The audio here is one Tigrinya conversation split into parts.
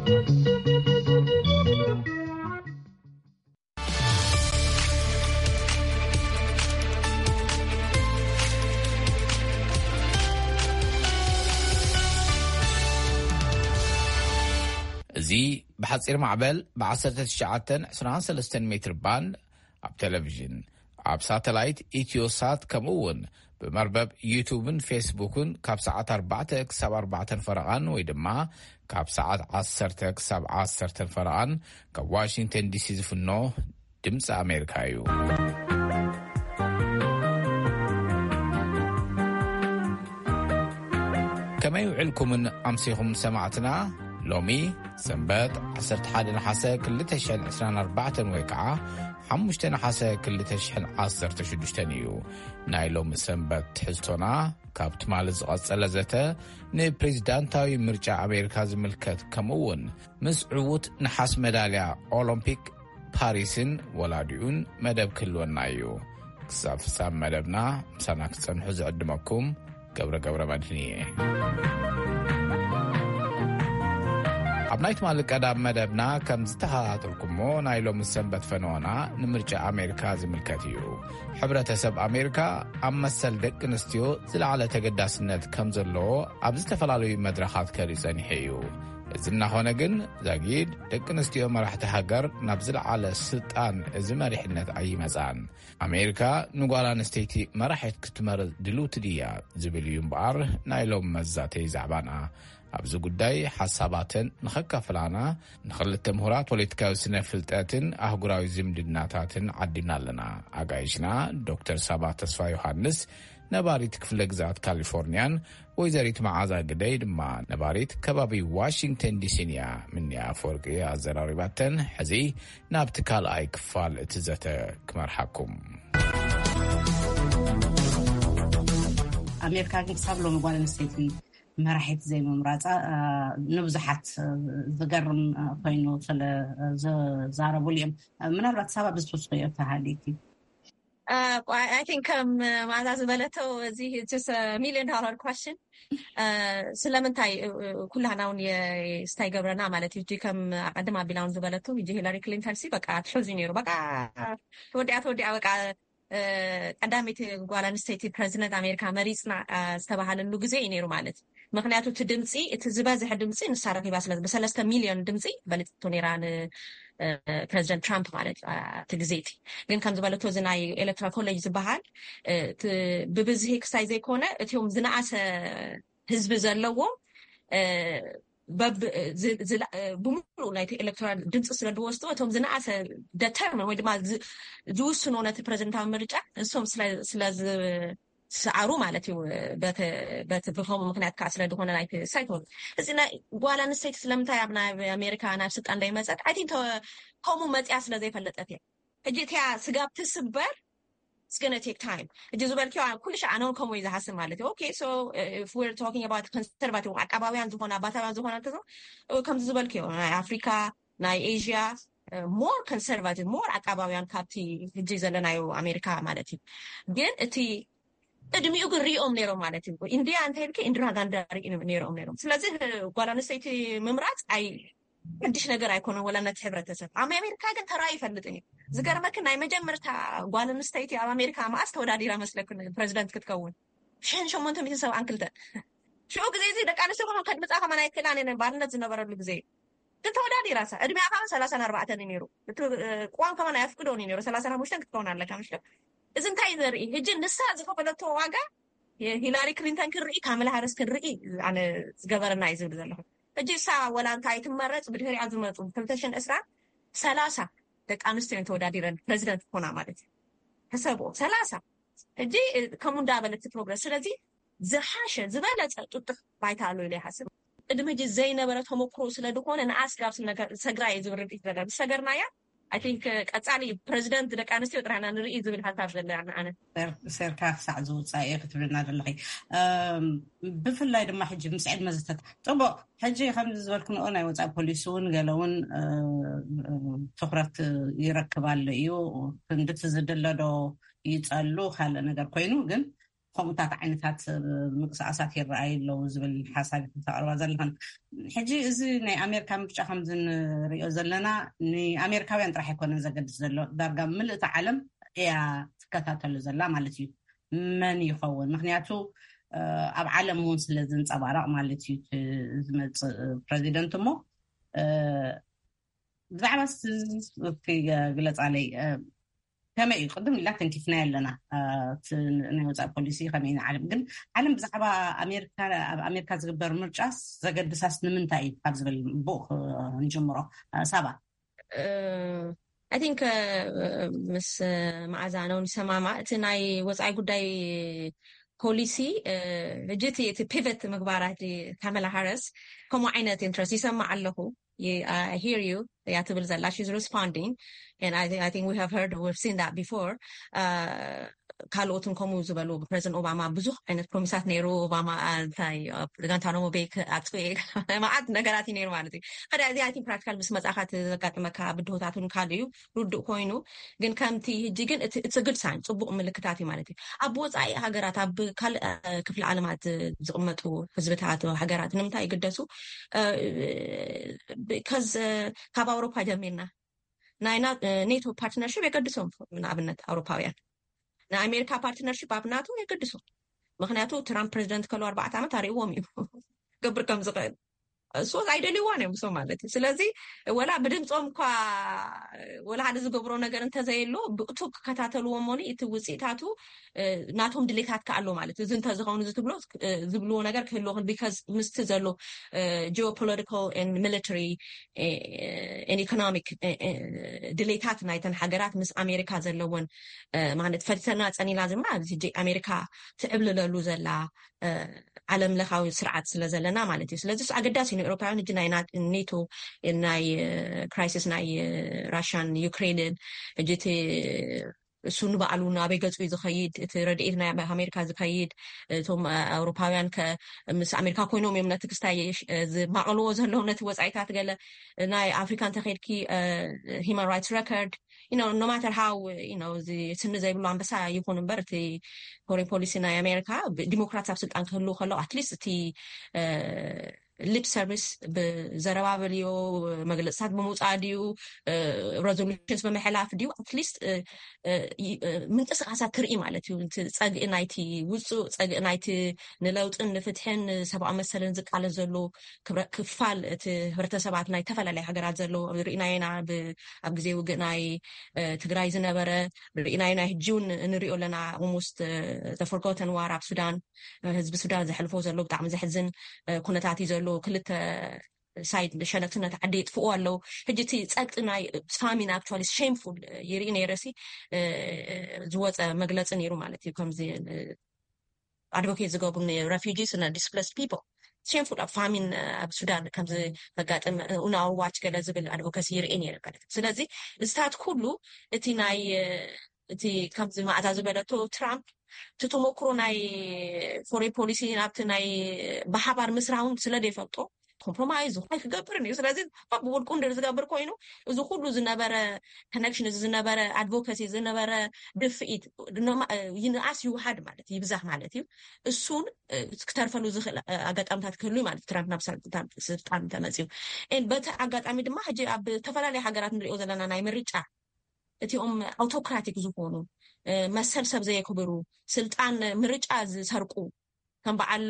እዚ ብሓጺር ማዕበል ብ1923 ሜትር ባንድ ኣብ ቴሌቪዥን፣ ኣብ ሳተላይት ኢትዮሳት፣ ከምኡ እውን ብመርበብ ዩቱብን ፌስቡክን ካብ ሰዓት ኣርባዕተ ክሳብ ኣርባዕተን ፈረቓን ወይ ድማ ካብ ሰዓት ዓሰርተ ክሳብ ዓሰርተን ፈረቓን ካብ ዋሽንግተን ዲሲ ዝፍኖ ድምፂ ኣሜሪካ እዩ። ከመይ ውዕልኩምን ኣምሲኹም ሰማዕትና? ሎሚ ሰንበት ዓሰርተ ሓደ ነሓሰ ክልተ ሽሕን ዕስራን ኣርባዕተን ወይ ከዓ ሓሙሽተ ነሓሰ ክልተ ሽሕን ዓሰርተ ሽዱሽተን እዩ። ናይ ሎሚ ሰንበት ትሕዝቶና ካብ ትማሊ ዝቐጸለ ዘተ ንፕሬዚዳንታዊ ምርጫ ኣሜሪካ ዝምልከት፣ ከምኡ እውን ምስ ዕዉት ነሓስ መዳልያ ኦሎምፒክ ፓሪስን ወላዲኡን መደብ ክህልወና እዩ። ክሳብ ፍጻም መደብና ምሳና ክትጸንሑ ዝዕድመኩም ገብረ ገብረ መድህን እየ። ኣብ ናይ ትማሊ ቀዳም መደብና ከም ዝተኸታተልኩሞ፣ ናይ ሎሚ ሰንበት ፈነወና ንምርጫ ኣሜሪካ ዝምልከት እዩ። ሕብረተሰብ ኣሜሪካ ኣብ መሰል ደቂ ኣንስትዮ ዝለዓለ ተገዳስነት ከም ዘለዎ ኣብ ዝተፈላለዩ መድረኻት ከርኢ ጸኒሑ እዩ። እዚ እናኾነ ግን፣ ዛጊድ ደቂ ኣንስትዮ መራሕቲ ሃገር ናብ ዝለዓለ ስልጣን እዚ መሪሕነት ኣይመጻን። ኣሜሪካ ንጓል ኣንስተይቲ መራሒት ክትመርጽ ድልውቲ ድያ ዝብል እዩ እምበኣር ናይ ሎም መዛተይ ዛዕባና። ኣብዚ ጉዳይ ሓሳባተን ንኸካፍላና ንኽልተ ምሁራት ፖለቲካዊ ስነ ፍልጠትን ኣህጉራዊ ዝምድናታትን ዓዲምና ኣለና። ኣጋይሽና ዶክተር ሳባ ተስፋ ዮሃንስ፣ ነባሪት ክፍለ ግዝኣት ካሊፎርኒያን፣ ወይዘሪት መዓዛ ግደይ ድማ ነባሪት ከባቢ ዋሽንግተን ዲሲን እያ። ምንያ ኣፈወርቂ ኣዘራሪባተን። ሕዚ ናብቲ ካልኣይ ክፋል እቲ ዘተ ክመርሓኩም። ኣሜሪካ ግን ክሳብ ሎሚ ጓል ኣንስተይቲ መራሒት ዘይምምራፃ፣ አ፣ ንብዙሓት፣ አ፣ ዝገርም፣ አ፣ ኮይኑ ስለ፣ አ፣ ዝዛረቡሉ እዮም። አ፣ ምናልባት ሳባ ብዝትውስኽዮ ተሃሊኪ። Uh, I I think ከም ማዛ ዝበለቶ፣ እዚ it's just a million dollar question. Uh, ስለምንታይ? Uh, ኩላህና እውን የ- ስታይ ገብረና ማለት እዩ። ከም ኣቀድም ኣቢላ እውን ዝበለቶ፣ እዚ ሂላሪ ክሊንተን ሲ በቃ ትሕዙ ነይሩ። በቃ ተወዲኣ ተወዲኣ በቃ፣ uh, ቀዳመይቲ ጓል ኣንስተይቲ ፕረዚደንት ኣሜሪካ መሪፅና፣ uh, ዝተባሃለሉ ግዜ እዩ ነይሩ ማለት እዩ። ምክንያቱ እቲ ድምፂ፣ እቲ ዝበዝሐ ድምፂ ንሳ ረኪባ ስለ፣ ብሰለስተ ሚልዮን ድምፂ በሊፅቶ ነይራ ን ፕረዚደንት ትራምፕ ማለት እዩ። እቲ ግዜ እቲ ግን ከም ዝበለቶ፣ እዚ ናይ ኤሌክትራል ኮሌጅ ዝበሃል፣ እቲ ብብዝሒ ክሳይ ዘይኮነ፣ እቲኦም ዝነኣሰ ህዝቢ ዘለዎም፣ በብ- ዝ- ዝላ- ብምሉእ ናይቲ ኤሌክትራል ድምፂ ስለ ዝወስዱ፣ እቶም ዝነኣሰ ደተርምን ወይ ድማ ዝ- ዝውስኑ ነቲ ፕረዚደንታዊ ምርጫ ንሶም ስለ- ስለ ዝሰዓሩ ማለት እዩ። በቲ- በቲ ብኸምኡ ምክንያት ከዓ ስለ ዝኾነ ናይቲ ሳይት ሆን እዚ ናይ ጓል ኣንስተይቲ ስለምንታይ ኣብ ናይ ኣሜሪካ ናብ ስልጣን እንዳይመፀት? I think ከምኡ መፅያ ስለ ዘይፈለጠት እያ። ሕጂ እቲያ ስጋብ ትስበር it's gonna take time። ሕጂ ዝበልክዮ ኩሉ ሻዕ ኣነ እውን ከምኡ እዩ ዝሓስብ ማለት እዩ። Okay, so if we're talking about conservative፣ ዓቃባውያን ዝኾነ ኣባታውያን ዝኾነ እንተዞ፣ ከምዚ ዝበልክዮ ናይ ኣፍሪካ፣ ናይ ኤዥያ፣ more conservative፣ more ዓቃባውያን ካብቲ ሕጂ ዘለናዮ ኣሜሪካ ማለት እዩ። ግን እቲ እድሚኡ ግን ሪኦም ነይሮም ማለት እዩ። ኢንዲያ እንተይልኪ ኢንዲራ ጋንዳ ርኢ ነይሮም ነይሮም። ስለዚ ጓል ኣንስተይቲ ምምራፅ ኣይ ሓድሽ ነገር ኣይኮነን፣ ወላ ነቲ ሕብረተሰብ። ኣብ ኣሜሪካ ግን ተራእዩ ይፈልጥን እዩ። ዝገርመኪ፣ ናይ መጀመርታ ጓል ኣንስተይቲ ኣብ ኣሜሪካ መኣስ ተወዳዲራ መስለኩ ፕረዚደንት ክትከውን? ሽሕን ሸሞንተ ሚእትን ሰብዓን ክልተን። ሽዑ ግዜ እዚ ደቂ ኣንስትዮ ከማን ከድምፃ ከማን ኣይክእላን እየን፣ ባርነት ዝነበረሉ ግዜ እዩ። ግን ተወዳዲራ እሳ። እድሜኣ ከማን ሰላሳን ኣርባዕተን እዩ ነይሩ። እቲ ቅዋም ከማን ኣየፍቅዶን እዩ ነይሩ። ሰላሳን ሓሙሽተን ክትከውን ኣለካ፣ ምሽ? እዚ እንታይ ዘርኢ? ሕጂ ንሳ ዝኸፈለቶ ዋጋ፣ ሂላሪ ክሊንተን ክንርኢ፣ ካመላ ሃሪስ ክንርኢ፣ ኣነ ዝገበረና እዩ ዝብል ዘለኹ። ሕጂ እሳ ወላ እንታይ ትመረፅ፣ ብድሕሪኣ ዝመፁ ክልተ ሽሕን ዕስራን ሰላሳ ደቂ ኣንስትዮ እየን ተወዳዲረን ፕረዚደንት ክኾና ማለት እዩ። ሕሰብዎ፣ ሰላሳ። ሕጂ ከምኡ እንዳበለት ትፕሮግረስ። ስለዚ ዝሓሸ ዝበለፀ ጥጡሕ ባይታ ኣሎ ኢለ ይሓስብ። ቅድሚ ሕጂ ዘይነበረ ተመክሮ ስለ ዝኾነ ንኣስ ጋብ ሰግራ እየ ዝብል ርድኢት ዘለ ዝሰገርናያ። I think ቀፃሊ ፕረዚደንት ደቂ ኣንስትዮ ጥራሕና ንርኢ ዝብል ሓሳብ ዘለ ኣነ። ሴርካ ክሳዕ ዝውፃእ እየ ክትብልና ዘለኺ። ብፍላይ ድማ ሕጂ ምስ ዕድመ ዝተታ ፅቡቅ። ሕጂ ከምዚ ዝበልክንኦ ናይ ወፃኢ ፖሊሲ እውን ገለ እውን ትኩረት ይረክብ ኣሎ እዩ። ክንድቲ ዝድለዶ ይፀሉ ካልእ ነገር ኮይኑ ግን ከምኡታት ዓይነታት ምንቅስቃሳት ይረኣዩ ኣለዉ ዝብል ሓሳብ ተቅርባ ዘለኽን። ሕጂ እዚ ናይ ኣሜሪካ ምርጫ ከምዚ ንሪኦ ዘለና ንኣሜሪካውያን ጥራሕ ኣይኮነን ዘገድስ ዘሎ፣ ዳርጋ ምልእቲ ዓለም እያ ትከታተሉ ዘላ ማለት እዩ። መን ይኸውን? ምክንያቱ ኣብ ዓለም እውን ስለ ዝንፀባረቕ ማለት እዩ። ዝመፅእ ፕረዚደንት እሞ ብዛዕባ ግለፃለይ ከመይ እዩ? ቅድም ኢላ ተንኪፍና ኣለና። ናይ ወፃኢ ፖሊሲ ከመይ ንዓለም ግን ዓለም ብዛዕባ ኣብ ኣሜሪካ ዝግበር ምርጫስ ዘገድሳስ ንምንታይ እዩ ካብ ዝብል ብኡ ንጀምሮ። ሳባ I think ምስ መዓዛ ነው ንሰማማ እቲ ናይ ወፃኢ ጉዳይ ፖሊሲ ሕጂ እቲ ፒቨት ምግባራት ካመላ ሃረስ ከምኡ ዓይነት ኢንትረስት ይሰማዕ ኣለኹ። Hear you እያ ትብል ዘላ። She's responding and I think we have heard, we've seen that before. ካልኦትን ከምኡ ዝበሉ ፕረዚደንት ኦባማ ብዙሕ ዓይነት ፕሮሚሳት ነይሩ። ኦባማ እንታይ ጋንታኖሞ ቤክ ኣጥፍኤ መዓት ነገራት እዩ ነይሩ ማለት እዩ። ሓደ እዚ ኣይ ቲንክ ፕራክቲካል ምስ መጻኻ ዘጋጥመካ ብድሆታትን ካልእ እዩ ርዱእ ኮይኑ፣ ግን ከምቲ ህጂ ግን እቲ ግድ ሳይን ጽቡቕ ምልክታት እዩ ማለት እዩ። ኣብ ወጻኢ ሃገራት ኣብ ካልእ ክፍለ ዓለማት ዝቕመጡ ህዝብታት ሃገራት ንምንታይ ይግደሱ? ከዝ ካብ ኣውሮፓ ጀሚርና ናይ ኔቶ ፓርትነርሽፕ የገድሶም። ንኣብነት ኣውሮፓውያን ናይ ኣሜሪካ ፓርትነርሽፕ ኣብ ናቶ የገድሶም። ምክንያቱ ትራምፕ ፕሬዚደንት ከሎ ኣርባዕተ ዓመት ኣርእዎም እዩ ገብር ከም ዝኽእል እሶት ኣይደልይዋን እዮም እሶም ማለት እዩ። ስለዚ ወላ ብድምፆም እኳ ወላ ሓደ ዝገብሮ ነገር እንተዘየሎ ብእቱ ክከታተልዎ እሞኒ እቲ ውፅኢታቱ ናቶም ድሌታት ከኣሎ ማለት እዩ። እዚ እንተዝኸውን እዚ ትብሎ ዝብልዎ ነገር ክህልዎ ቢካዝ ምስቲ ዘሎ geopolitical and military and economic ድሌታት ናይተን ሃገራት ምስ ኣሜሪካ ዘለዎን ማለት ፈሊተና ፀኒና ዝማ ኣብዚ ኣሜሪካ ትዕብልለሉ ዘላ ዓለም ለኻዊ ስርዓት ስለ ዘለና ማለት እዩ። ስለዚ ኣገዳሲ ንኤውሮፓውያን እጂ ናይ ኔቶ ናይ ክራይሲስ ናይ ራሽያን ዩክሬንን እጂ እቲ እሱ ንባዕሉ ናበይ ገጹ እዩ ዝኸይድ? እቲ ረድኤት ናይ ኣሜሪካ ዝኸይድ እቶም ኣውሮፓውያን ምስ ኣሜሪካ ኮይኖም እዮም ነቲ ክስታይ ዝማቐልዎ ዘለዉ ነቲ ወፃኢታት ገለ ናይ ኣፍሪካ እንተኸይድኪ human rights record no matter how እዚ ስኒ ዘይብሉ ኣንበሳ ይኹን እምበር እቲ ፎሬን ፖሊሲ ናይ ኣሜሪካ ዲሞክራት ኣብ ስልጣን ክህልው ከለዉ ኣትሊስት እቲ ሊፕ ሰርቪስ ብዘረባበልዮ መግለፅታት ብምውፃእ ድዩ ሬዞሉሽንስ ብምሕላፍ ድዩ ኣትሊስት ምንቅስቃሳት ትርኢ ማለት እዩ። ጸግኢ ናይቲ ውፁእ ጸግኢ ናይቲ ንለውጥን ንፍትሕን ሰብኣዊ መሰልን ዝቃለስ ዘሎ ክፋል እቲ ህብረተሰባት ናይ ተፈላለዩ ሃገራት ዘሎ ርኢናየና ኣብ ግዜ ውግእ ናይ ትግራይ ዝነበረ ርኢናዮ ናይ ህጂ እውን ንሪኦ ኣለና። ኦልሞስት ተፈርጎተን ዋር ኣብ ሱዳን ህዝቢ ሱዳን ዘሕልፎ ዘሎ ብጣዕሚ ዘሕዝን ኩነታት እዩ ዘሎ። ክልተ ሳይድ ሸነክቲ ነቲ ዓዲ የጥፍኡ ኣለዉ። ሕጂ እቲ ጸቅጢ ናይ ፋሚን actually shameful ይርኢ ነይረ ሲ ዝወፀ መግለፂ ነይሩ ማለት እዩ። ከምዚ ኣድቮኬት ዝገብሩ refugees እና displaced people shameful ኣብ ፋሚን ኣብ ሱዳን ከምዚ መጋጥም ኡናዋች ገለ ዝብል ኣድቮኬሲ ይርኢ ነይረ ማለት እዩ። ስለዚ እዚታት ኩሉ እቲ ናይ እቲ ከምዚ ማእዛ ዝበለቶ ትራምፕ እቲ ተመክሮ ናይ ፎሬን ፖሊሲ ናብቲ ናይ ብሓባር ምስራውን ስለ ዘይፈልጦ ኮምፕሮማይዝ ዝኾነ ክገብርን እዩ። ስለዚ ብውልቁ እንድር ዝገብር ኮይኑ እዚ ኩሉ ዝነበረ ኮነክሽን እዚ ዝነበረ ኣድቮካሲ ዝነበረ ድፍኢት ይንኣስ ይውሃድ ማለት ይብዛህ ማለት እዩ። እሱን ክተርፈሉ ዝኽእል ኣጋጣሚታት ክህሉ ማለት ትራምፕ ናብ ስልጣን ተመፅዩ በቲ ኣጋጣሚ ድማ ሕጂ ኣብ ዝተፈላለዩ ሃገራት ንሪኦ ዘለና ናይ ምርጫ እቲኦም ኣውቶክራቲክ ዝኾኑ መሰል ሰብ ዘየክብሩ ስልጣን ምርጫ ዝሰርቁ ከም በዓል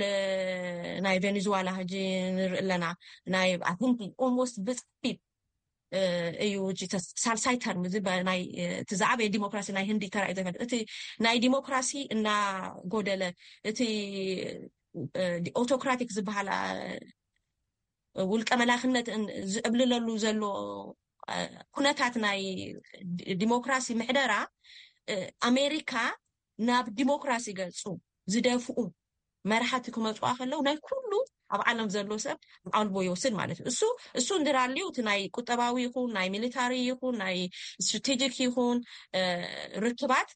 ናይ ቬኔዙዋላ ሕጂ ንርኢ ኣለና። ናይ ኣን ኦልሞስት ብፅሒት እዩ ሳልሳይ ተርም እዚ ናይ እቲ ዝዓበየ ዲሞክራሲ ናይ ህንዲ ተራእዩ ዘይፈልጥ እቲ ናይ ዲሞክራሲ እናጎደለ እቲ ኦቶክራቲክ ዝበሃል ውልቀ መላክነት ዝዕብልለሉ ዘሎ ኩነታት ናይ ዲሞክራሲ ምሕደራ ኣሜሪካ ናብ ዲሞክራሲ ገፁ ዝደፍኡ መራሕቲ ክመፅዋ ከለው ናይ ኩሉ ኣብ ዓለም ዘሎ ሰብ ኣልቦ ይወስድ ማለት እዩ። እሱ እሱ እንድራልዩ እቲ ናይ ቁጠባዊ ይኹን ናይ ሚሊታሪ ይኹን ናይ ስትራቴጂክ ይኹን ርክባት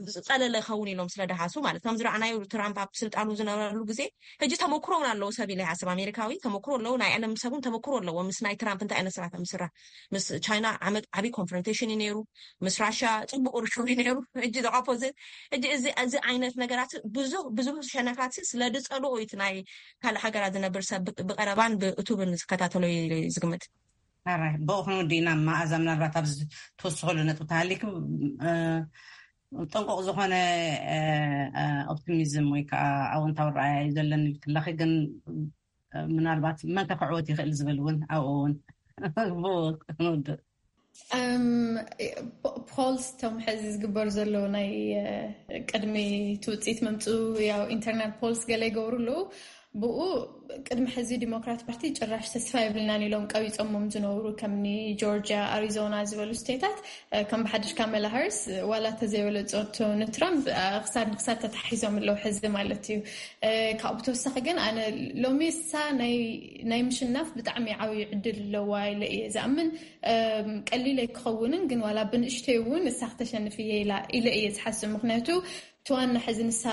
ዝፀለለ ይኸውን ኢሎም ስለ ደሃሱ ማለት። ከም ዝረኣናዮ ትራምፕ ኣብ ስልጣኑ ዝነበረሉ ግዜ፣ ሕጂ ተመክሮ እውን ኣለዎ ሰብ ኢለ ይሓስብ። ኣሜሪካዊ ተመክሮ ኣለዎ፣ ናይ ዓለም ሰብ እውን ተመክሮ ኣለዎ። ምስ ናይ ትራምፕ እንታይ ዓይነት ስራሕ ከም ዝስራሕ፣ ምስ ቻይና ዓመት ዓብዪ ኮንፍሮንቴሽን እዩ ነይሩ፣ ምስ ራሽያ ፅቡቅ ርክብ እዩ ነይሩ። ሕጂ the opposite። ሕጂ እዚ እዚ ዓይነት ነገራት ብዙ ብዙ ሸነኻት ስለ ዝፀልኦ እዩ እቲ ናይ ካልእ ሃገራት ዝነብር ሰብ ብቀረባን ብእቱብን ዝከታተሎ እዩ ዝግምት። ኣራይ ብኡ ክንውዲ ኢና። መኣዛ፣ ምናልባት ኣብዚ ትወስኸሉ ነጥቢ ተሃሊክ ጥንቁቕ ዝኾነ ኦፕቲሚዝም ወይ ከዓ ኣወንታዊ ረኣያ እዩ ዘለኒ ክለኺ፣ ግን ምናልባት መን ከክዕወት ይኽእል ዝብል እውን ኣብኡ እውን ብኡ ክንውድእ። ፖልስ፣ እቶም ሕዚ ዝግበር ዘለዉ ናይ ቅድሚ ትውፅኢት መምፅኡ ያው ኢንተርናል ፖልስ ገለ ይገብሩ ኣለዉ። ብኡ ቅድሚ ሕዚ ዲሞክራት ፓርቲ ጭራሽ ተስፋ የብልናን ኢሎም ቀቢፆሞም ዝነበሩ ከምኒ ጆርጂያ፣ ኣሪዞና ዝበሉ ስቴታት ከም ብሓድሽ ካመላ ሃርስ ዋላ ተዘይበለፀቶ ንትራምፕ ክሳድ ንክሳድ ተታሒዞም ኣለዉ ሕዚ ማለት እዩ። ካብኡ ተወሳኺ ግን ኣነ ሎሚ እሳ ናይ ምሽናፍ ብጣዕሚ ዓብዩ ዕድል ኣለዋ ኢለ እየ ዝኣምን። ቀሊል ኣይክኸውንን ግን ዋላ ብንእሽተይ እውን እሳ ክተሸንፍ እየ ኢለ እየ ዝሓስብ። ምክንያቱ እቲ ዋና ሕዚ ንሳ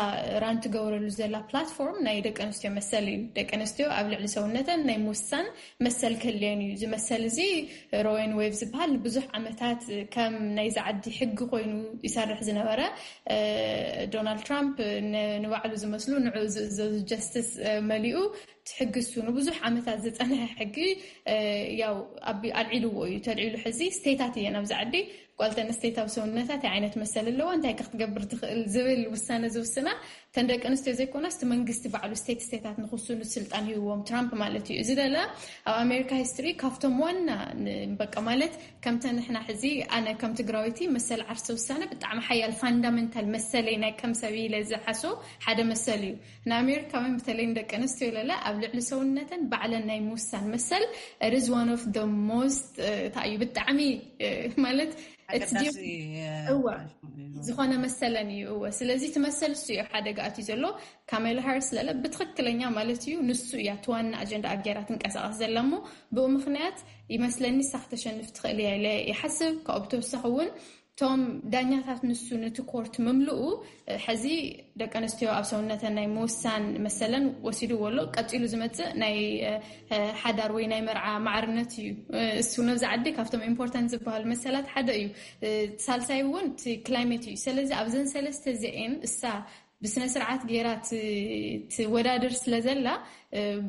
ራን ትገብረሉ ዘላ ፕላትፎርም ናይ ደቂ ኣንስትዮ መሰል እዩ። ደቂ ኣንስትዮ ኣብ ልዕሊ ሰውነተን ናይ ምውሳን መሰል ክህልየን እዩ። እዚ መሰል እዚ ሮወን ዌብ ዝበሃል ንብዙሕ ዓመታት ከም ናይዚ ዓዲ ሕጊ ኮይኑ ይሰርሕ ዝነበረ ዶናልድ ትራምፕ ንባዕሉ ዝመስሉ ንዑ ዝእዘዙ ጀስትስ መሊኡ ሕጊ እሱ ንብዙሕ ዓመታት ዝፀንሐ ሕጊ ያው ኣልዒልዎ እዩ። ተልዒሉ ሕዚ ስቴታት እየን ኣብዚ ዓዲ ጓል ኣንስተይቲ ኣብ ሰውነታ እንታይ ዓይነት መሰል ኣለዋ፣ እንታይ ከ ክትገብር ትኽእል ዝብል ውሳነ ዝውስና እተን ደቂ ኣንስትዮ ዘይኮናስ እቲ መንግስቲ ባዕሉ ስቴት ስቴታት ንክውስኑ ስልጣን ሂብዎም ትራምፕ ማለት እዩ። እዚ ደለ ኣብ ኣሜሪካ ሂስትሪ ካብቶም ዋና በቃ ማለት ከምተ ንሕና ሕዚ ኣነ ከም ትግራዊቲ መሰል ዓርሰ ውሳነ ብጣዕሚ ሓያል ፋንዳመንታል መሰለይ ናይ ከም ሰብ ኢለ ዝሓስቦ ሓደ መሰል እዩ። ንኣሜሪካውያን በተለይ ንደቂ ኣንስትዮ ለለ ኣብ ልዕሊ ሰውነተን ባዕለን ናይ ምውሳን መሰል it is one of the most እንታይ እዩ ብጣዕሚ ማለት እዋ ዝኾነ መሰለን እዩ። እወ ስለዚ እቲ መሰል እሱ እዩ ሓደጋ ኣትዩ ዘሎ። ካሜላ ሃርስ ለለ ብትኽክለኛ ማለት እዩ ንሱ እያ እቲ ዋና ኣጀንዳ ኣብ ገይራ ትንቀሳቐስ ዘላ እሞ ብኡ ምክንያት ይመስለኒ እሳ ክተሸንፍ ትኽእል እያ ኢለ ይሓስብ። ካብኡ ብተወሳኺ እውን እቶም ዳኛታት ንሱ ነቲ ኮርት ምምልኡ ሕዚ ደቂ ኣንስትዮ ኣብ ሰውነተን ናይ ምውሳን መሰለን ወሲድዎ ኣሎ። ቀፂሉ ዝመፅእ ናይ ሓዳር ወይ ናይ መርዓ ማዕርነት እዩ። እሱ ነብዚ ዓዲ ካብቶም ኢምፖርታንት ዝበሃሉ መሰላት ሓደ እዩ። ሳልሳይ እውን እቲ ክላይሜት እዩ። ስለዚ ኣብዘን ሰለስተ እዚኤን እሳ ብስነ ስርዓት ገይራ ትወዳድር ስለ ዘላ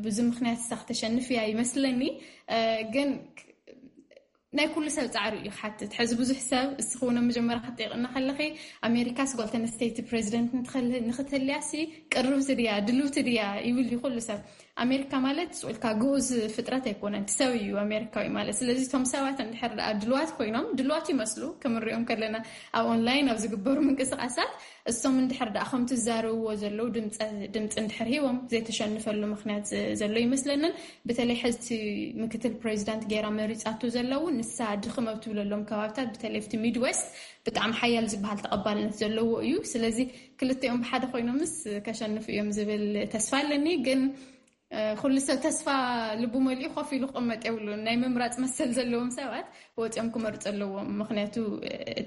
ብዙ ምክንያት እሳ ክተሸንፍ እያ ይመስለኒ። ግን ናይ ኩሉ ሰብ ፃዕሪ እዩ ክሓትት። ሕዚ ብዙሕ ሰብ እስኺ እውን ኣብ መጀመርያ ክትጠይቅና ከለኺ ኣሜሪካስ ጓል ኣንስተይቲ ፕሬዚደንት ንክትህልያሲ ቅርብቲ ድያ ድልውቲ ድያ ይብል እዩ ኩሉ ሰብ። ኣሜሪካ ማለት ስቁልካ ግኡዝ ፍጥረት ኣይኮነን፣ ሰብ እዩ ኣሜሪካዊ ማለት። ስለዚ እቶም ሰባት እንድሕር ደኣ ድልዋት ኮይኖም ድልዋት ይመስሉ ከም ንሪኦም ከለና ኣብ ኦንላይን ኣብ ዝግበሩ ምንቅስቃሳት እሶም እንድሕር ደኣ ከም ትዛረብዎ ዘለዉ ድምፂ እንድሕር ሂቦም ዘይተሸንፈሉ ምክንያት ዘሎ ይመስለንን። በተለይ ሕዚ ምክትል ፕሬዚዳንት ገይራ መሪፃቶ ዘለዉ ንሳ ድኽም ኣብ ትብለሎም ከባብታት በተለይ ኣብቲ ሚድዌስት ብጣዕሚ ሓያል ዝበሃል ተቐባልነት ዘለዎ እዩ። ስለዚ ክልቲኦም ብሓደ ኮይኖምስ ከሸንፉ እዮም ዝብል ተስፋ ኣለኒ። ግን ኩሉ ሰብ ተስፋ ልቡ መሊኡ ኮፍ ኢሉ ክቕመጥ የብሉን። ናይ ምምራፅ መሰል ዘለዎም ሰባት ወፂኦም ክመርፁ ኣለዎም። ምክንያቱ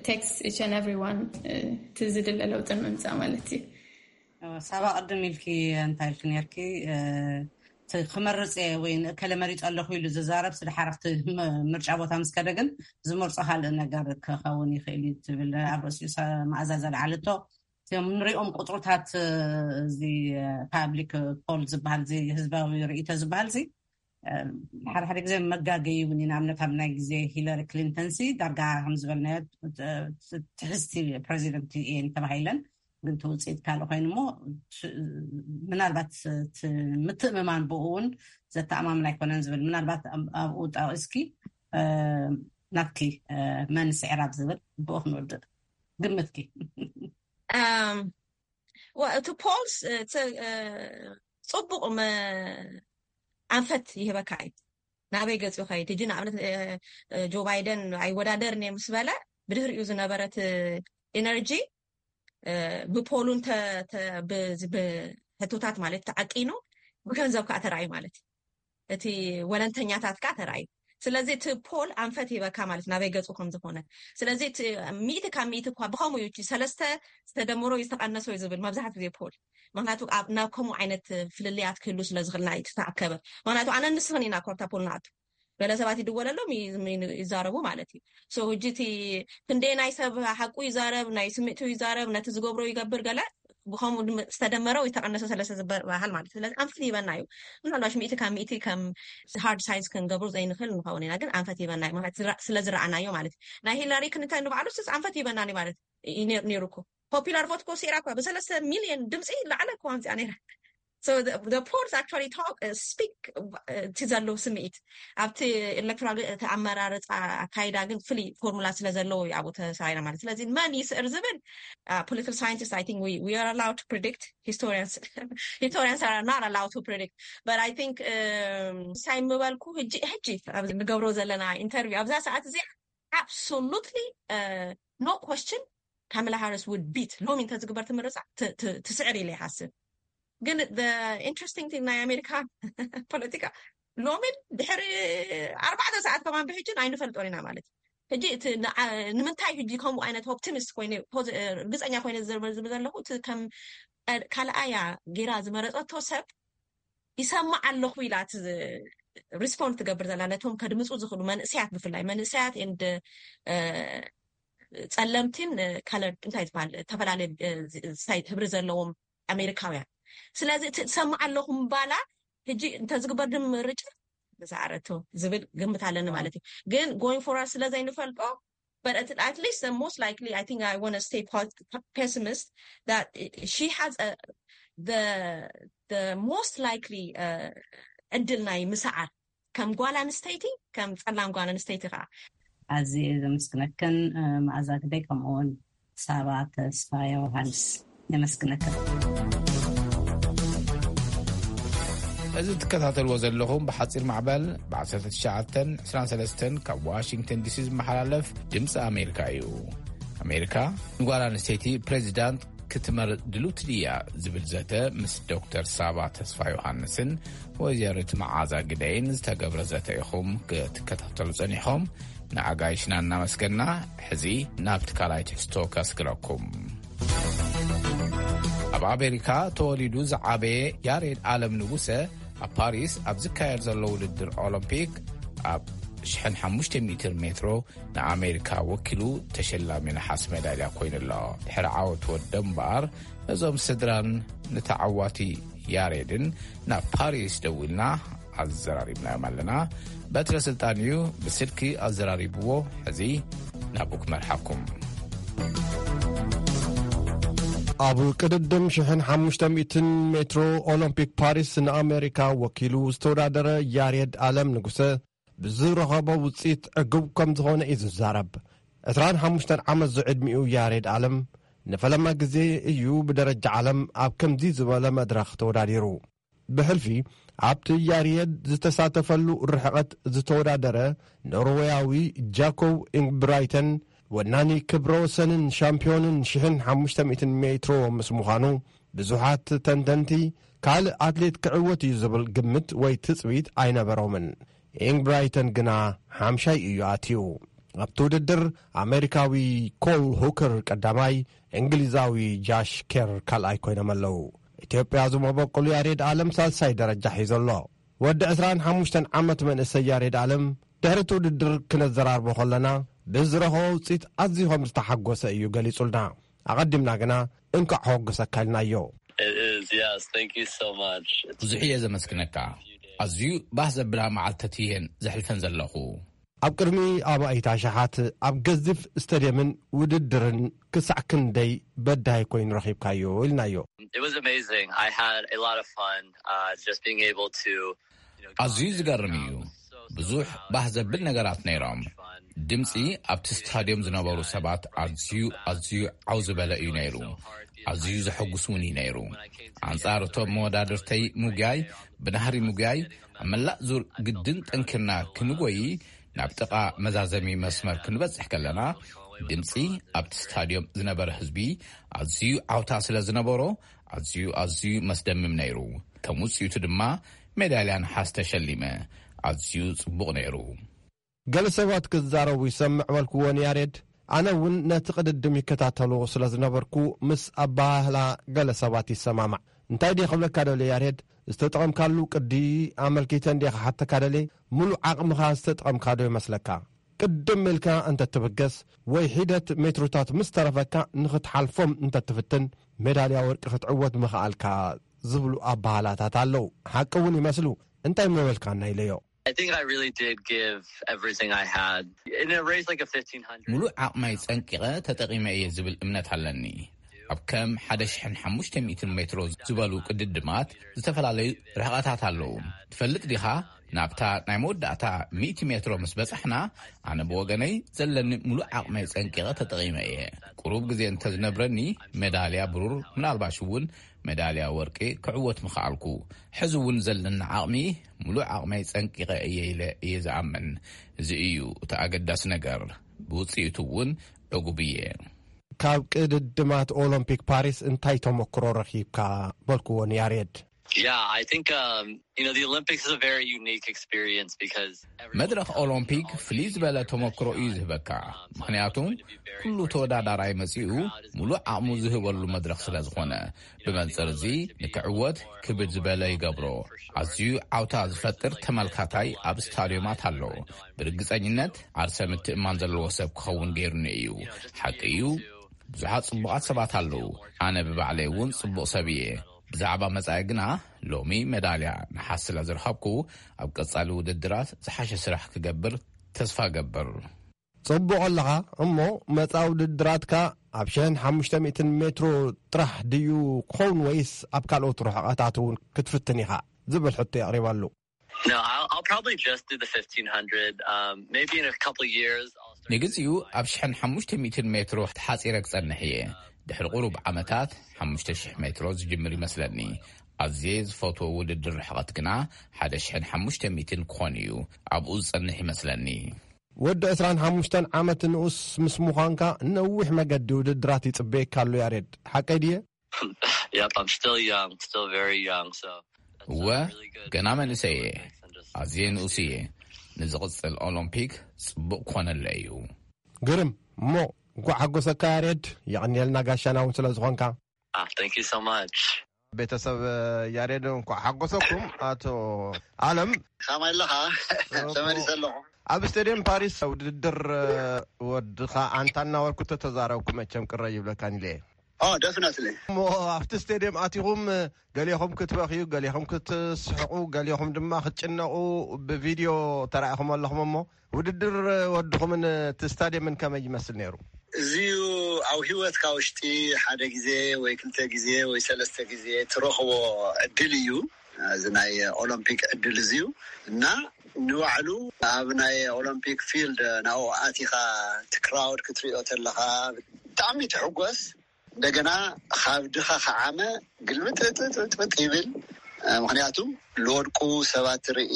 ቴክስ ኢች ኤንድ ኤቭሪዋን እቲ ዝድለ ለውጢ ንምምፃእ ማለት እዩ። ሳባ ቅድም ኢልኪ እንታይ ኢልኪ ነርኪ ክመርፅ እየ ወይ ንእከለ መሪፀ ኣለኹ ኢሉ ዝዛረብ ስድሓር ኣብቲ ምርጫ ቦታ ምስ ከደ ግን ዝመርፆ ካልእ ነገር ክኸውን ይኽእል እዩ ትብል ኣብ ርእሲኡ መኣዛ ዘልዓለቶ እቲኦም ንሪኦም ቁፅሩታት እዚ ፓብሊክ ፖል ዝበሃል እዚ ህዝባዊ ርእይቶ ዝበሃል እዚ ሓደ ሓደ ግዜ መጋገይ እውን ንኣብነት ኣብ ናይ ግዜ ሂለሪ ክሊንተን ሲ ዳርጋ ከም ዝበልናዮ ትሕዝቲ ፕሬዚደንት እየን ተባሂለን ግን እቲ ውፅኢት ካልእ ኮይኑ እሞ ምናልባት ምትእምማን ብኡ እውን ዘተኣማምን ኣይኮነን ዝብል ምናልባት ኣብኡ ጠቂስኪ ናትኪ መን ስዕር ኣብ ዝብል ብኡ ክንወድእ ግምትኪ እቲ ፖልስ ፅቡቅ ኣንፈት ይህበካ እዩ ናበይ ገፂ ከይድ እጂ ንኣብነት ጆ ባይደን ኣይወዳደርን እየ ምስ በለ ብድህሪኡ ዝነበረት ኢነርጂ ብፖሉን ብሕቶታት ማለት ተዓቂኑ ብገንዘብ ከዓ ተረኣዩ ማለት እዩ። እቲ ወለንተኛታት ከዓ ተረኣዩ። ስለዚ እቲ ፖል ኣንፈት ሂበካ ማለት ናበይ ገፁ ከም ዝኾነ። ስለዚ እቲ ሚእቲ ካብ ሚእቲ እኳ ብኸምኡ እዩ፣ እቲ ሰለስተ ዝተደመሮ እዩ ዝተቐነሰ እዩ ዝብል መብዛሕትኡ ግዜ ፖል። ምክንያቱ ኣብ፣ ናብ ከምኡ ዓይነት ፍልልያት ክህሉ ስለ ዝኽእል ናይ እቲ ተኣከበ። ምክንያቱ ኣነ ንስኽን ኢና ኮርታ ፖል ንኣቱ። ገለ ሰባት ይድወለሎም ይ-፣ ይ-፣ ይዛረቡ ማለት እዩ። So ሕጂ እቲ ክንደይ ናይ ሰብ ሓቁ ይዛረብ፣ ናይ ስምዒቱ ይዛረብ፣ ነቲ ዝገብሮ ይገብር፣ ገለ ብኸምኡ ድም-፣ ዝተደመረ ወይ ተቐነሰ ሰለስተ ዝበሃል ማለት እዩ። ስለዚ ኣንፈት ይበና እዩ። ምናልባሽ ሚእቲ ካብ ሚእቲ ከም ሃርድ ሳይንስ ክንገብሩ ዘይንኽእል ንኸውን ኢና፣ ግን ኣንፈት ይበና እዩ ማለት ዝራ-፣ ስለ ዝረኣናዮ ማለት እዩ። ናይ ሂላሪ ክሊንተን ንባዕሉ ስስ ኣንፈት ይበና እዩ ማለት እዩ ነይሩ እኮ። ፖፑላር ቮት እኮ ስዒራ እኮ ብሰለስተ ሚልዮን ድምፂ ላዕለ እኮ ኣምፅኣ ነይራ። So the, the polls actually talk, uh, speak, uh, እቲ ዘሎ ስምዒት ኣብቲ ኤሌክቶራል፣ እቲ ኣመራረፃ ኣካይዳ ግን ፍሉይ ፎርሙላ ስለ ዘለዎ እዩ ኣብኡ ተሰራይና ማለት። ስለዚ መን ይስዕር ዝብል፣ uh, political scientists, I think we, we are allowed to predict. Historians, historians are not allowed to predict. But I think, um, ሳይ ምበልኩ ሕጂ፣ ሕጂ ኣብ ንገብሮ ዘለና ኢንተርቪው ኣብዛ ሰዓት እዚኣ absolutely, uh, no question ካማላ ሃሪስ ውድ ቢት ሎሚ እንተዝግበር ትምርፃ ት-፣ ት-፣ ትስዕር ኢለ ይሓስብ። ግን ኢንትረስቲንግ ቲንግ ናይ ኣሜሪካ ፖለቲካ ሎሚን ድሕሪ ኣርባዕተ ሰዓት ከማን ብሕጂ ኣይንፈልጦን ኢና ማለት እዩ። ሕጂ እቲ ንዓ-፣ ንምንታይ ሕጂ ከምኡ ዓይነት ኦፕቲሚስት ኮይነ ፖዚ-፣ ርግፀኛ ኮይነ ዝርዝር ዝብል ዘለኹ እቲ ከም ካልኣያ ጌራ ዝመረፀቶ ሰብ ይሰማዕ ኣለኹ ኢላ እቲ ሪስፖንድ ትገብር ዘላ ነቶም ከድምፁ ዝኽእሉ መንእሰያት፣ ብፍላይ መንእሰያት ኤንድ ጸለምቲን ከለር እንታይ ዝበሃል ዝተፈላለየ ህብሪ ዘለዎም ኣሜሪካውያን። ስለዚ እቲ ትሰማዕ ኣለኹ ምባላ ሕጂ እንተዝግበር ድም ምርጫ ዝኣረቶ ዝብል ግምት ኣለኒ ማለት እዩ። ግን ጎይንግ ፎርዋርድ ስለ ዘይንፈልጦ፣ but at, at least the most likely, I think I want to stay pos-, pessimist that she has a, the, the most likely, uh, ዕድል ናይ ምስዓር ከም ጓል ኣንስተይቲ፣ ከም ጸላም ጓል ኣንስተይቲ ከዓ። ኣዝየ ዘመስግነክን፣ እ፣ መኣዛ ግደይ፣ ከምኡ እውን ሳባ ተስፋ ዮሃንስ፣ የመስግነክን። እዚ ትከታተልዎ ዘለኹም ብሓጺር ማዕበል ብ19 23 ካብ ዋሽንግተን ዲሲ ዝመሓላለፍ ድምፂ ኣሜሪካ እዩ። ኣሜሪካ ንጓል ኣንስተይቲ ፕሬዚዳንት ክትመርጥ ድልውቲ ድያ ዝብል ዘተ ምስ ዶክተር ሳባ ተስፋ ዮሃንስን ወይዘሪት መዓዛ ግደይን ዝተገብረ ዘተ ኢኹም ክትከታተሉ ጸኒሕኹም። ንኣጋይሽና እናመስገና፣ ሕዚ ናብቲ ካልኣይ ትሕዝቶ ከስግረኩም። ኣብ ኣሜሪካ ተወሊዱ ዝዓበየ ያሬድ ኣለም ንጉሰ፣ ኣብ ፓሪስ ኣብ ዝካየድ ዘሎ ውድድር ኦሎምፒክ ኣብ 1,500 ሜትሮ ንኣሜሪካ ወኪሉ ተሸላሚ ነሓስ ሜዳልያ ኮይኑ ኣሎ። ድሕሪ ዓወት ወደ እምበኣር፣ ነዞም ስድራን ንተዓዋቲ ያሬድን ናብ ፓሪስ ደዊልና ኣዘራሪብናዮም ኣለና። በትረ ስልጣን እዩ ብስልኪ ኣዘራሪብዎ። ሕዚ ናብኡ ክመርሓኩም። ኣብ ቅድድም 1,500 ሜትሮ ኦሎምፒክ ፓሪስ ንኣሜሪካ ወኪሉ ዝተወዳደረ ያሬድ ኣለም ንጉሰ፣ ብዝረኸቦ ውፅኢት ዕጉብ ከም ዝኾነ እዩ ዝዛረብ። 25 ዓመት ዝዕድሚኡ ያሬድ ኣለም ንፈለማ ግዜ እዩ ብደረጃ ዓለም ኣብ ከምዚ ዝበለ መድረኽ ተወዳዲሩ። ብሕልፊ ኣብቲ ያሬድ ዝተሳተፈሉ ርሕቐት ዝተወዳደረ ኖርዌያዊ ጃኮብ ኢንግብራይተን፣ ወናኒ ክብረ ወሰንን ሻምፒዮንን 1,500 ሜትሮ ምስ ምዃኑ፣ ብዙሓት ተንተንቲ ካልእ ኣትሌት ክዕወት እዩ ዝብል ግምት ወይ ትጽቢት ኣይነበሮምን። ኢንግብራይተን ግና ሓምሻይ እዩ ኣትዩ። ኣብቲ ውድድር ኣሜሪካዊ ኮል ሁከር ቀዳማይ፣ እንግሊዛዊ ጃሽ ኬር ካልኣይ ኮይኖም ኣለዉ። ኢትዮጵያ ዝመበቆሉ ያሬድ ኣለም ሳልሳይ ደረጃ ሒዙ ኣሎ። ወዲ 25 ዓመት መንእሰይ ያሬድ ኣለም ድሕሪ እቲ ውድድር ክነዘራርቦ ከለና፣ ብዝረኸቦ ውፅኢት ኣዝዩ ከም ዝተሓጎሰ እዩ ገሊጹልና። ኣቐዲምና ግና እንኳዕ ሓጎሰካ ኢልናዮ። It is, yes. Thank you so much. It's ብዙሕ እየ ዘመስግነካ። ኣዝዩ ባህ ዘብላ መዓልትታት እየን ዘሕልፈን ዘለኹ። ኣብ ቅድሚ ኣማኢት ኣሽሓት ኣብ ገዚፍ ስታድየምን ውድድርን ክሳዕ ክንደይ በዳሂ ኮይኑ ረኺብካዮ? ኢልናዮ። It was amazing. I had a lot of fun, uh, just being able to, you know, go ኣዝዩ out there. ዝገርም እዩ። ብዙሕ ባህ ዘብል ነገራት ነይሮም። ድምፂ ኣብቲ ስታድዮም ዝነበሩ ሰባት ኣዝዩ፣ ኣዝዩ ዓው ዝበለ እዩ ነይሩ። ኣዝዩ ዘሐጉስ እውን እዩ ነይሩ። ኣንጻር እቶም መወዳድርተይ ምጉያይ፣ ብናህሪ ምጉያይ፣ ኣብ መላእ ዙር ግድን ጠንኪርና ክንጎይ፣ ናብ ጥቓ መዛዘሚ መስመር ክንበጽሕ ከለና፣ ድምጺ ኣብቲ ስታድዮም ዝነበረ ህዝቢ ኣዝዩ ዓውታ ስለ ዝነበሮ፣ ኣዝዩ፣ ኣዝዩ መስደምም ነይሩ። ከም ውጽኢቱ ድማ ሜዳልያ ነሓስ ተሸሊመ። ኣዝዩ ጽቡቕ ነይሩ። ገለ ሰባት ክዛረቡ ይሰምዕ በልክዎ ንያሬድ። ኣነ እውን ነቲ ቅድድም ይከታተሎ ስለ ዝነበርኩ፣ ምስ ኣበሃህላ ገለ ሰባት ይሰማማዕ። እንታይ ድየ ክብለካ ደልየ ያሬድ? ዝተጠቐምካሉ ቅዲ ኣመልኪተ እንድየ ክሓተካ ደልየ። ምሉእ ዓቕምኻ ዝተጠቐምካ ዶ ይመስለካ? ቅድም ኢልካ እንተ ትብገስ ወይ ሒደት ሜትሮታት ምስ ተረፈካ፣ ንኽትሓልፎም እንተ ትፍትን፣ ሜዳልያ ወርቂ ክትዕወት ምኽኣልካ ዝብሉ ኣበሃላታት ኣለዉ። ሓቂ እውን ይመስሉ። እንታይ ምበልካና ኢለዮ። I think I really did give everything I had in a race like a fifteen hundred. ሙሉእ ዓቕመይ ጸንቂቐ ተጠቒመ እየ ዝብል እምነት ኣለኒ። ኣብ ከም ሓደ ሽሕን ሓሙሽተ ሚእትን ሜትሮ ዝበሉ ቅድድማት ዝተፈላለዩ ርሕቐታት ኣለዉ። ትፈልጥ ዲኻ? ናብታ ናይ መወዳእታ ሚእቲ ሜትሮ ምስ በጻሕና፣ ኣነ ብወገነይ ዘለኒ ሙሉእ ዓቕመይ ጸንቂቐ ተጠቒመ እየ። ቁሩብ ግዜ እንተዝነብረኒ፣ ሜዳልያ ብሩር፣ ምናልባሽ እውን ሜዳልያ ወርቂ ክዕወት ምኽኣልኩ። ሕዚ እውን ዘለኒ ዓቕሚ፣ ሙሉእ ዓቕመይ ጸንቂቐ እየ ኢለ እየ ዝኣምን። እዚ እዩ እቲ ኣገዳሲ ነገር። ብውጽኢቱ እውን ዕጉብ እየ። ካብ ቅድድማት ኦሎምፒክ ፓሪስ እንታይ ተመክሮ ረኺብካ? በልክዎ ንያሬድ። Yeah, I think um, you know the Olympics is a very unique experience because everyone መድረኽ ኦሎምፒክ ፍልይ ዝበለ ተመክሮ እዩ ዝህበካ። ምኽንያቱ፣ ኩሉ ተወዳዳራይ መጺኡ ሙሉእ ዓቕሙ ዝህበሉ መድረኽ ስለ ዝኾነ፣ ብመንጽር እዚ ንክዕወት ክብድ ዝበለ ይገብሮ። ኣዝዩ ዓውታ ዝፈጥር ተመልካታይ ኣብ ስታድዮማት ኣሎ። ብርግጸኝነት ዓርሰ ምትእማን ዘለዎ ሰብ ክኸውን ገይሩኒ እዩ። ሓቂ እዩ፣ ብዙሓት ጽቡቓት ሰባት ኣለዉ። ኣነ ብባዕለይ እውን ጽቡቕ ሰብ እየ። ብዛዕባ መጻኢ ግና፣ ሎሚ ሜዳልያ ነሓስ ስለ ዝረኸብኩ፣ ኣብ ቀጻሊ ውድድራት ዝሓሸ ስራሕ ክገብር ተስፋ እገብር። ጽቡቕ ኣለኻ። እሞ መጻኢ ውድድራትካ ኣብ ሽሕን ሓሙሽተ ሚእትን ሜትሮ ጥራሕ ድዩ ክኸውን፣ ወይስ ኣብ ካልኦት ርሕቐታት እውን ክትፍትን ኢኻ ዝብል ሕቶ የቕሪበሉ። No, I'll, I'll probably just do the fifteen hundred. Um, maybe in a couple of years, I'll start. ንግዚኡ ኣብ ሽሕን ሓሙሽተ ሚእትን ሜትሮ ተሓጺረ ክጸንሕ እየ። ድሕሪ ቁሩብ ዓመታት ሓሙሽተ ሽሕ ሜትሮ ዝጅምር ይመስለኒ። ኣዝየ ዝፈትዎ ውድድር ርሕቐት ግና ሓደ ሽሕን ሓሙሽተ ሚእትን ክኾን እዩ። ኣብኡ ዝጸንሕ ይመስለኒ። ወዲ ዕስራን ሓሙሽተን ዓመት ንኡስ ምስ ምዃንካ፣ ነዊሕ መገዲ ውድድራት ይጽበየካ ኣሎ ያሬድ። ሓቀይ ድየ? Yep, I'm still young, still very young. So that's እወ፣ uh, really good. ገና መንእሰይ እየ። And just ኣዝየ ንኡስ እየ። ንዝቕጽል ኦሎምፒክ ጽቡቕ ኮነለ እዩ። ግርም። እሞ እንኳዕ ሓጎሰካ ያሬድ። የቐንየልና ጋሻና እውን ስለ ዝኾንካ። Ah, thank you so much. ቤተሰብ ያሬድ እንኳዕ ሓጎሰኩም። ኣቶ ኣለም፣ ከመይ ኣለኻ? ተመሊሰ ኣለኹ። ኣብ ስቴድየም ፓሪስ ውድድር ወድኻ ኣንታ እናበልኩ ተተዛረብኩ፣ መቸም ቅረ ይብለካን ኢለ እየ። ኦ፣ ደፍነትሊ። እሞ ኣብቲ ስቴድየም ኣቲኹም፣ ገሊኹም ክትበኽዩ፣ ገሊኹም ክትስሕቑ፣ ገሊኹም ድማ ክትጭነቑ ብቪድዮ ተራኢኹም ኣለኹም። እሞ ውድድር ወድኹምን እቲ ስታድየምን ከመይ ይመስል ነይሩ? እዚዩ ኣብ ህይወትካ ውሽጢ ሓደ ግዜ ወይ ክልተ ግዜ ወይ ሰለስተ ግዜ ትረኽቦ ዕድል እዩ። እዚ ናይ ኦሎምፒክ ዕድል እዚዩ እና ንባዕሉ ኣብ ናይ ኦሎምፒክ ፊልድ ናብኡ ኣቲኻ እቲ ክራውድ ክትሪኦ ተለኻ ብጣዕሚ ትሕጎስ። እንደገና ካብ ድኻ ከዓመ ግልብጥጥጥጥ ይብል። ምክንያቱ ልወድቁ ሰባት ይርኢ፣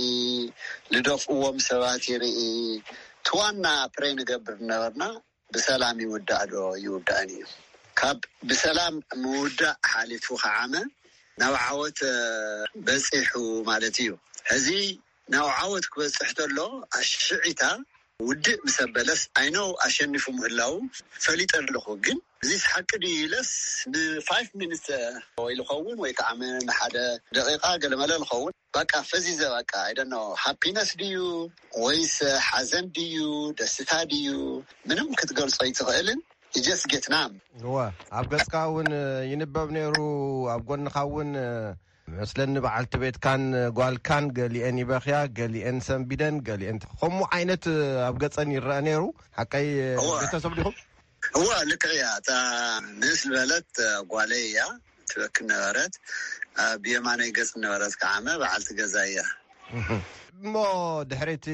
ልደፍእዎም ሰባት ይርኢ። እቲ ዋና ፕሬ ንገብር ነበርና ብሰላም ይውዳእ ዶ ይውዳእን እዩ። ካብ ብሰላም ምውዳእ ሓሊፉ ከዓመ ናብ ዓወት በፂሑ ማለት እዩ። ሕዚ ናብ ዓወት ክበፅሕ ተሎ ኣሽዒታ ውድእ ምስ ኣበለስ ኣይነው ኣሸኒፉ ምህላው ፈሊጠ ኣለኹ። ግን እዚስ ሓቂ ድዩ ኢለስ ንፋይቭ ሚኒትስ ወይ ልኸውን ወይ ከዓ ንሓደ ደቂቃ ገለመለ ልኸውን በቃ ፈዚዘ በቃ ኣይደኖ ሃፒነስ ድዩ ወይስ ሓዘን ድዩ ደስታ ድዩ ምንም ክትገልጾ ኣይትኽእልን። You just get numb። እወ፣ ኣብ ገጽካ እውን ይንበብ ነይሩ። ኣብ ጎንኻ እውን መስለኒ በዓልቲ ቤትካን ጓልካን ገሊኤን ይበኽያ፣ ገሊኤን ሰንቢደን፣ ገሊኤን ከምኡ ዓይነት ኣብ ገጸን ይረአ ነይሩ። ሓቀይ? እወ። ቤተሰብ ዲኹም? እወ፣ ልክዕ እያ። እታ ንእስ ዝበለት ጓለይ እያ ትበክን ነበረት። ኣብ የማነይ ገጽ ነበረት ከዓመ በዓልቲ ገዛ እያ። እሞ ድሕሪ እቲ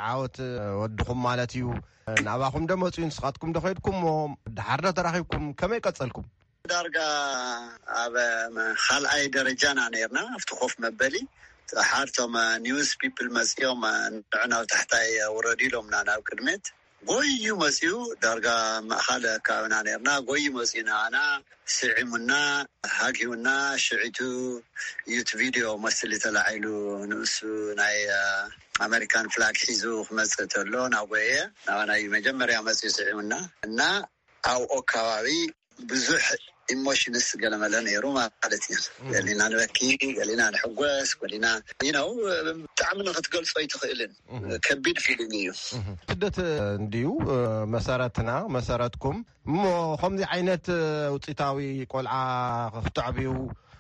ዓወት ወድኹም ማለት እዩ፣ ናባኹም ዶ መፅኡ? ንስኻትኩም ዶ ከይድኩም? እሞ ድሓር ዶ ተራኺብኩም? ከመይ ቀጸልኩም? ዳርጋ ኣብ ካልኣይ ደረጃና ነርና፣ ኣብቲ ኮፍ መበሊ። ድሓር እቶም ኒውስ ፒፕል መፅኦም ንዕና ኣብ ታሕታይ ውረዱ ኢሎምና ናብ ቅድሜት። ጎዩ መፅዩ። ዳርጋ ማእኻል ከባብና ነርና። ጎዩ መፅዩ ንኣና ስዒሙና፣ ሃጊውና። ሽዒቱ ዩት ቪድዮ መስሊ ተላዒሉ፣ ንእሱ ናይ ኣመሪካን ፍላግ ሒዙ ክመፅእ ተሎ ናጎየ ናባናዩ መጀመርያ መፅዩ ስዒሙና። እና ኣብኦ ከባቢ ብዙሕ ኢሞሽንስ ገለመለ ነይሩ ማለት እዩ። ገሊና ንበኪ፣ ገሊና ንሕጎስ፣ ገሊና ነው። ብጣዕሚ ንክትገልጾ ኣይትኽእልን። ከቢድ ፊሊንግ እዩ። ስደት እንድዩ መሰረትና፣ መሰረትኩም። እሞ ከምዚ ዓይነት ውፅኢታዊ ቆልዓ ክትዕብዩ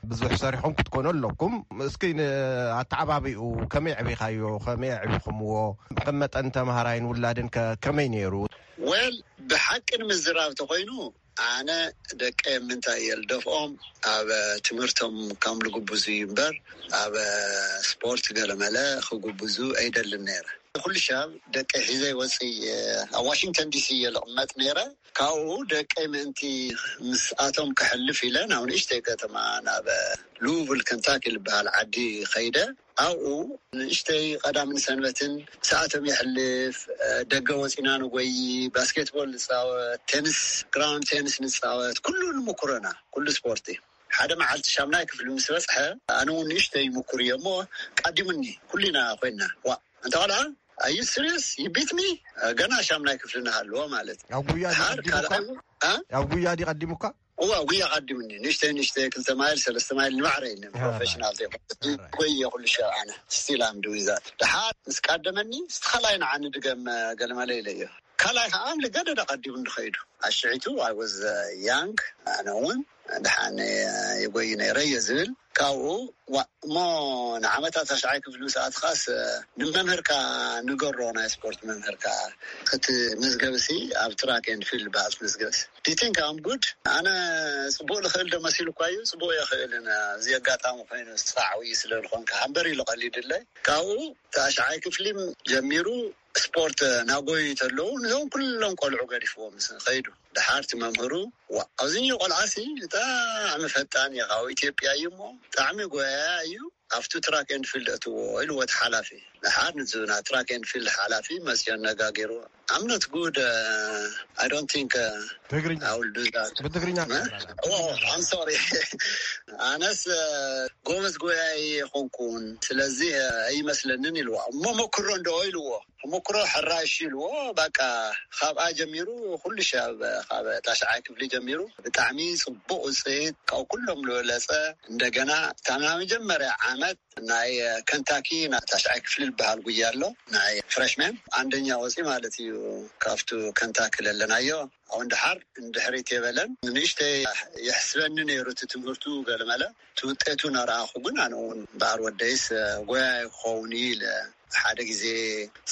ብዙሕ ሰሪሖም ክትኮኑ ኣለኩም። እስኪ ኣተዓባቢኡ ከመይ ዕቢኻዮ? ከመይ ዕቢኹምዎ? ከም መጠን ተምሃራይን ውላድን ከመይ ነይሩ? ወል ብሓቂ ንምዝራብ ተኮይኑ፣ ኣነ ደቀ ምንታይ እየ ልደፍኦም? ኣብ ትምህርቶም ከም ልግብዙ እዩ እምበር፣ ኣብ ስፖርት ገለመለ ክግብዙ ኣይደልን ነይረ። ኩሉ ሻብ ደቀ ሒዘ ይወፅእ እየ። ኣብ ዋሽንግተን ዲሲ እየ ልቕመጥ ነይረ። ካብኡ ደቀይ ምእንቲ ምስኣቶም ክሕልፍ ኢለ ናብ ንእሽተይ ከተማ፣ ናብ ሉቪል ከንታኪ ልበሃል ዓዲ ከይደ። ኣብኡ ንእሽተይ ቀዳምን ሰንበትን ሰዓቶም የሕልፍ። ደገ ወፂና ንጎይ፣ ባስኬትቦል ንፃወት፣ ቴንስ፣ ግራውንድ ቴንስ ንፃወት። ኩሉ ንምኩረና፣ ኩሉ ስፖርቲ። ሓደ መዓልቲ ሻምናይ ክፍሊ ምስ በፅሐ፣ ኣነ እውን ንእሽተይ ይምኩር እየ እሞ፣ ቀዲሙኒ። ኩሊና ኮይና፣ ዋ፣ እንተ ቆልዓ ኣዩ ስሪየስ ይቢትኒ? ገና ሻምናይ ክፍሊ ንሃልዎ ማለት እዩ። ኣብ ጉያ ድዩ ድሓር ቀዲሙካ? ካልኣይ እ? ኣብ ጉያ ድዩ ቀዲሙካ? እዋ፣ ጉያ ቀዲምኒ። ንእሽተይ ንእሽተይ ክልተ ማይል ሰለስተ ማይል ንባዕረይ ፕሮፌሽናል ዘይኮነ ጎየ ኩሉ ሸ ኣነ ስቲል ኣም ዱዊዛ። ድሓር ምስ ቀደመኒ፣ ስቲ ካልኣይ ንዓኒ ድገም ገለመለ ኢለ እዮ። ካልኣይ ከዓ ልገደደ ቀዲሙ እንድኸይዱ ኣሽዒቱ። ኣይ ወዝ ያንግ፣ ኣነ እውን ድሓን የጎይ ነይረ እየ ዝብል። ካብኡ ዋ እሞ፣ ንዓመታት ታሽዓይ ክፍሊ ምስ ኣትኻስ ንመምህርካ ንገሮ፣ ናይ ስፖርት መምህርካ ክትምዝገብሲ፣ ኣብ ትራክ ኤንድ ፊልድ በሃል ትምዝገብሲ። ዲቲንክ ኣም ጉድ። ኣነ ፅቡቅ ልኽእል ዶ መሲሉ እኳ እዩ። ፅቡቅ የኽእልን፣ እዚ ኣጋጣሚ ኮይኑ ስራዕ ውይ ስለ ዝኾንካ ሃምበር ኢሉ ቀሊድለይ። ካብኡ ታሽዓይ ክፍሊ ጀሚሩ ስፖርት ናጎዩ ተለዉ፣ ንዞም ኩሎም ቆልዑ ገዲፍዎም ከይዱ። ድሓርቲ መምህሩ፣ ዋ፣ ኣብዚኒ ቆልዓሲ ብጣዕሚ ፈጣን እዩ፣ ካብ ኢትዮጵያ እዩ እሞ ብጣዕሚ ጎያያ እዩ፣ ኣብቱ ትራክ ኤንድ ፊልድ እትዎ ኢልዎ እቲ ሓላፊ። ድሓር ንዝና ትራክ ኤንድ ፊልድ ሓላፊ መፅዮ ነጋጊሩ፣ ኣምነት ጉድ። I don't think ትግርኛ I will do that. ብትግርኛ I'm sorry። ኣነስ ጎበዝ ጎያይ የኾንኩን፣ ስለዚ ኣይመስለንን ኢልዎ። እሞ መኩሮ እንዶ ኢልዎ። ተመክሮ ሕራሽ ኢልዎ። በቃ ካብኣ ጀሚሩ ኩሉ ሻብ ካብ ታሽዓይ ክፍሊ ጀሚሩ ብጣዕሚ ፅቡቅ ውፅኢት፣ ካብ ኩሎም ዝበለፀ። እንደገና እታ ናይ መጀመርያ ዓመት ናይ ከንታኪ ናይ ታሽዓይ ክፍሊ ዝበሃል ጉያ ኣሎ፣ ናይ ፍረሽመን ኣንደኛ ወፂ ማለት እዩ። ካብቱ ከንታኪ ለለናዮ ኣሁን ድሓር እንድሕሪት የበለን። ንእሽተይ የሕስበኒ ነይሩ እቲ ትምህርቱ ገለመለ። እቲ ውጤቱ ናረኣኹ ግን ኣነ እውን በኣር ወደይስ ጎያ ክኸውን እዩ ኢለ። ሓደ ግዜ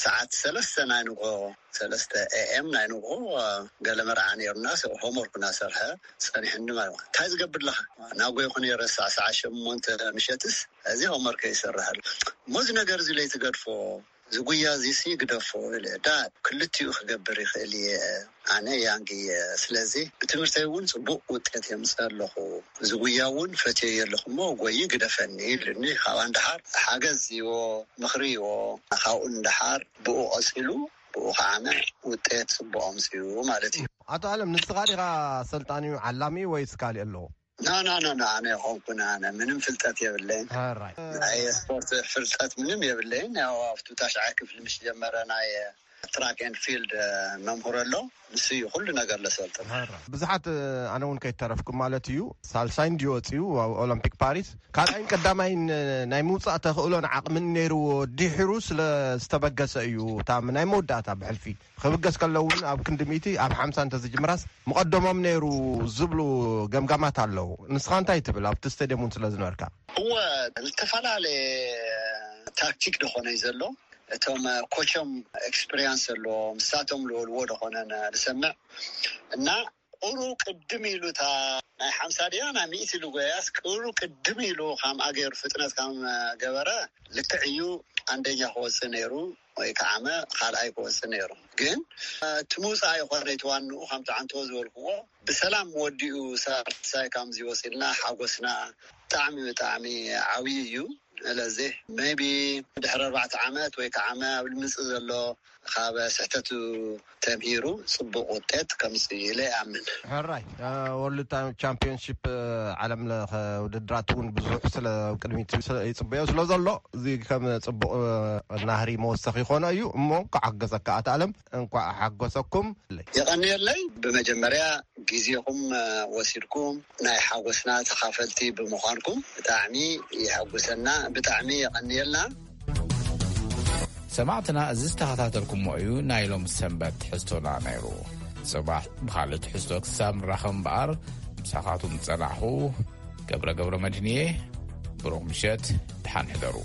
ሰዓት ሰለስተ ናይ ንግሆ፣ ሰለስተ ኤኤም ናይ ንግሆ፣ ገለ መርዓ ነይሩና። ሆምወርክ እናሰርሐ ፀኒሕኒ ማለት ነው። እንታይ ዝገብር ኣለኻ? ናጎይኹ ነይረ ሳዕ ሰዓት ሸሞንተ ምሸትስ እዚ ሆምወርክ ይሰርሕ ኣሎ። እሞ እዚ ነገር እዚ ለይትገድፎ፣ ዝጉያ እዚሲ ግደፎ ኢለ። ዳ ክልቲኡ ክገብር ይኽእል እየ፣ ኣነ ያንግ እየ። ስለዚ ብትምህርተይ እውን ፅቡቅ ውጤት የምፅእ ኣለኹ። ዝጉያ እውን ፈትየ ኣለኹ እሞ ጎይ ግደፈኒ ኢሉኒ። ካብ ኣንድሓር ሓገዝ ይዎ፣ ምኽሪ ይዎ። ካብኡ እንድሓር ብኡ ቀፂሉ፣ ብኡ ከዓነ ውጤት ፅቡቅ ኣምፅኡ ማለት እዩ። ኣቶ ኣለም፣ ንስኻ ዲኻ ሰልጣኒ ዓላሚ ወይስ ካሊእ ኣለዎ? ና ና ና ና ኣነ ይኾንኩን ኣነ ምንም ፍልጠት የብለይን። ኣራይ ናይ ስፖርት ፍልጠት ምንም የብለይን። ያው ኣብቱ ታሽዓይ ክፍሊ ምስ ጀመረ ናይ ትራክ ኤንድ ፊልድ መምህር ኣሎ፣ ንሱ እዩ ኩሉ ነገር ለሰልጥን። ብዙሓት ኣነ እውን ከይተረፍኩም ማለት እዩ። ሳልሳይ እንዲወፅዩ ኣብ ኦሎምፒክ ፓሪስ ካልኣይን ቀዳማይን ናይ ምውፃእ ተኽእሎን ዓቕምን ነይርዎ፣ ድሒሩ ስለ ዝተበገሰ እዩ። እታ ናይ መወዳእታ ብሕልፊ ክብገስ ከሎ እውን ኣብ ክንዲ ሚእቲ ኣብ ሓምሳ እንተዝጅምራስ ምቐደሞም ነይሩ ዝብሉ ገምጋማት ኣለዉ። ንስኻ እንታይ ትብል ኣብቲ ስቴድየም እውን ስለ ዝነበርካ? እወ፣ ዝተፈላለየ ታክቲክ ደኾነ እዩ ዘሎ። እቶም ኮቾም ኤክስፒሪንስ ዘለዎ ምሳቶም ልወልዎ ደኾነ ንሰምዕ እና ቁሩ ቅድም ኢሉ እታ ናይ ሓምሳ ድያ ናይ ሚእቲ ኢሉ ጎያስ ቁሩ ቅድም ኢሉ ካምኣ ገይሩ ፍጥነት ካም ገበረ ልክዕ እዩ። ኣንደኛ ክወፅእ ነይሩ ወይ ከዓመ ካልኣይ ክወፅእ ነይሩ። ግን እቲ ምውፃእ ይኮነ እቲ ዋንኡ ከምቲ ዓንቶ ዝበልክዎ ብሰላም ወዲኡ ሳልሳይ ካምዚ ወፂልና ሓጎስና ብጣዕሚ ብጣዕሚ ዓብዪ እዩ። ስለዚ maybe ድሕሪ ኣርባዕተ ዓመት ወይ ከዓ ዓመት ኣብ ልምፅእ ዘሎ ካብ ስሕተቱ ተምሂሩ ፅቡቕ ውጤት ከምፅእ ኢለ ይኣምን። ሕራይ ወርልድ ቻምፒዮንሺፕ ዓለም ለኸ ውድድራት እውን ብዙሕ ስለ ቅድሚት ይፅበዮ ስለ ዘሎ፣ እዚ ከም ፅቡቕ ናህሪ መወሰኺ ይኾኖ እዩ። እሞ ክዓገዘካ ኣታ ኣለም፣ እንኳዕ ሓጎሰኩም። የቐንየለይ። ብመጀመርያ ግዜኹም ወሲድኩም ናይ ሓጎስና ተኻፈልቲ ብምዃንኩም ብጣዕሚ የሐጉሰና። ብጣዕሚ የቐንየልና። ሰማዕትና፣ እዚ ዝተኸታተልኩሞ እዩ ናይ ሎም ሰንበት ትሕዝቶና ነይሩ። ጽባሕ ብኻልእ ትሕዝቶ ክሳብ ንራኸብ እምበኣር፣ ምሳኻቱም ዝጸናሕኹ ገብረ ገብረ መድህንየ። ብሩኽ ምሸት፣ ደሓን ሕደሩ።